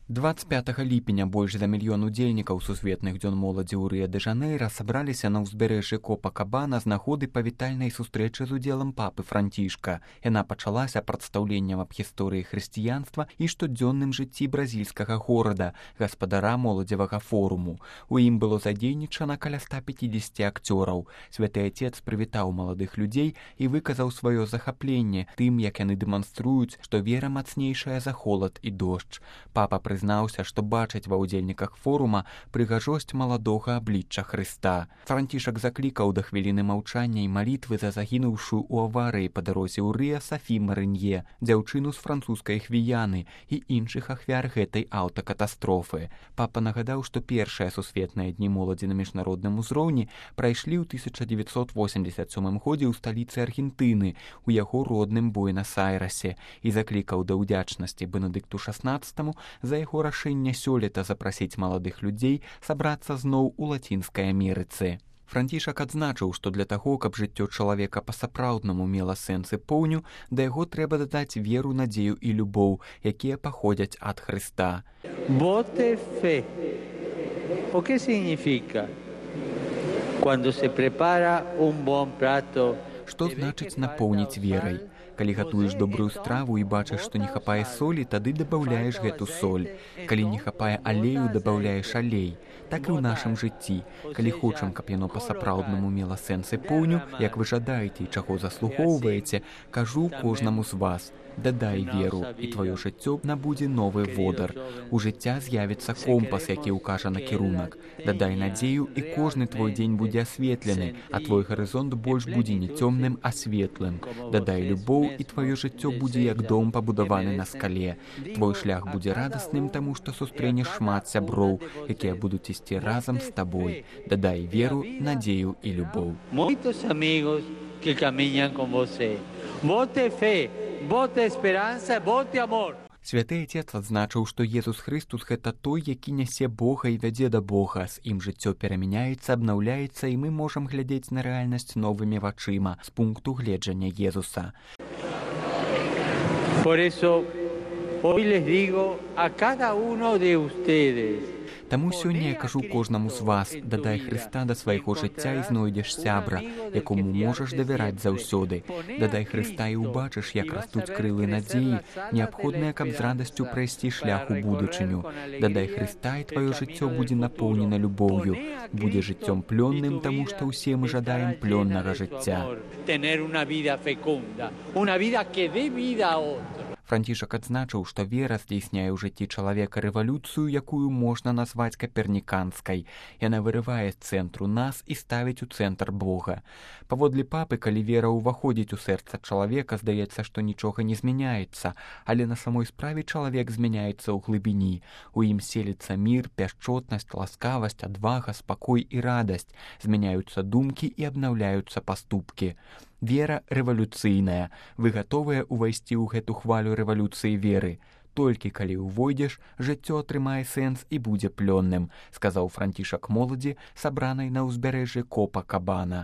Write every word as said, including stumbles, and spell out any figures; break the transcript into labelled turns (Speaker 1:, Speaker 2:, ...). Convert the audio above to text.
Speaker 1: двадцать пятага ліпеня больш за мільён удзельнікаў сусветных дзён моладзі ў Рыа-дэ-Жанэйра сабраліся на ўзбярэжжы Копакабана з нагоды павітальнай сустрэчы з удзелам папы Францішка. Яна пачалася прадстаўленнем аб гісторыі хрысціянства і штодзённым жыцці бразільскага горада, гаспадара моладзевага форуму. У ім было задзейнічана каля ста пяцідзесяці акцёраў. Святы Отец прывітаў маладых людзей і выказаў сваё захапленне тым, як яны дэманструюць, што вера мацнейшая за холад і дождж. Папа прызнаўся, што бачыць ва ўдзельніках форума прыгажосць маладога аблічча Хрыста. Францішак заклікаў да хвіліны маўчання і малітвы за загінуўшую ў аварыі па дарозе ў Рыа Сафі Марынье, дзяўчыну з французскай Гвіяны і іншых ахвяр гэтай аўтакатастрофы. Папа нагадаў, што першыя сусветныя дні моладзі на міжнародным узроўні прайшлі ў тысяча дзевяцьсот восемьдесят сёмым годзе ў сталіцы Аргентыны, у яго родным Буэнас-Айрасе, і заклікаў да ўдзячнасці Бенедыкту шаснаццатаму за яго рашэнне сёлета запрасіць маладых людзей сабрацца зноў у Лацінскай Амерыцы. Францішак адзначыў, што для таго, каб жыццё чалавека па-сапраўднаму мела сэнс і поўню, да яго трэба дадаць веру, надзею і любоў, якія паходзяць ад Хрыста.
Speaker 2: Bote fe. O què significa? Cuando se prepara un bon prato.
Speaker 1: Што значыць напоўніць верай? Калі гатуеш добрую страву і бачыш, што не хапае солі, тады дабаўляеш гэту соль. Калі не хапае алею, дабаўляеш алей. Так і ў нашым жыцці. Калі хочам, каб яно па-сапраўднаму мела сэнс і поўню, як вы жадаеце і чаго заслугоўваеце, кажу кожнаму з вас: дадай веру, і тваё жыццё набудзе новы водар. У жыцця з'явіцца компас, які ўкажа накірунак. Дадай надзею, і кожны твой дзень будзе асветлены, а твой гарызонт больш будзе не цёмным, а светлым. Дадай любоў, і тваё жыццё будзе як дом, пабудаваны на скале. Твой шлях будзе радасным, таму што сустрэнеш шмат сяброў, якія будуць ісці разам з табой. Дадай веру, надзею і любоў.
Speaker 2: Muitos amigos que caminan con você. Bote fe, bote esperanza, bote amor.
Speaker 1: Святы Отец адзначыў, што Езус Хрыстус — гэта той, які нясе Бога і вядзе да Бога. З ім жыццё перамяняецца, абнаўляецца, і мы можам глядзець на рэальнасць новымі вачыма з пункту гледжання Езуса.
Speaker 2: Por eso, hoy les digo a cada uno de ustedes.
Speaker 1: Таму сёння я кажу кожнаму з вас: дадай Хрыста да свайго жыцця і знойдзеш сябра, якому можаш давяраць заўсёды. Дадай Хрыста і ўбачыш, як растуць крылы надзеі, неабходныя, каб з радасцю прайсці шлях у будучыню. Дадай Хрыста, і тваё жыццё будзе напоўнена любоўю. Будзе жыццём плённым, таму што ўсе мы жадаем плённага жыцця. Францішак адзначыў, што вера здзейсняе ў жыцці чалавека рэвалюцыю, якую можна назваць каперніканскай. Яна вырывае з цэнтру нас і ставіць у цэнтр Бога. Паводле папы, калі вера ўваходзіць у сэрца чалавека, здаецца, што нічога не змяняецца, але на самой справе чалавек змяняецца ў глыбіні. У ім селіцца мір, пяшчотнасць, ласкавасць, адвага, спакой і радасць. Змяняюцца думкі і абнаўляюцца паступкі. Вера рэвалюцыйная. Вы гатовыя ўвайсці ў гэту хвалю рэвалюцыі веры? Толькі калі ўвойдзеш, жыццё атрымае сэнс і будзе плённым, сказаў Францішак моладзі, сабранай на ўзбярэжжы Копакабана.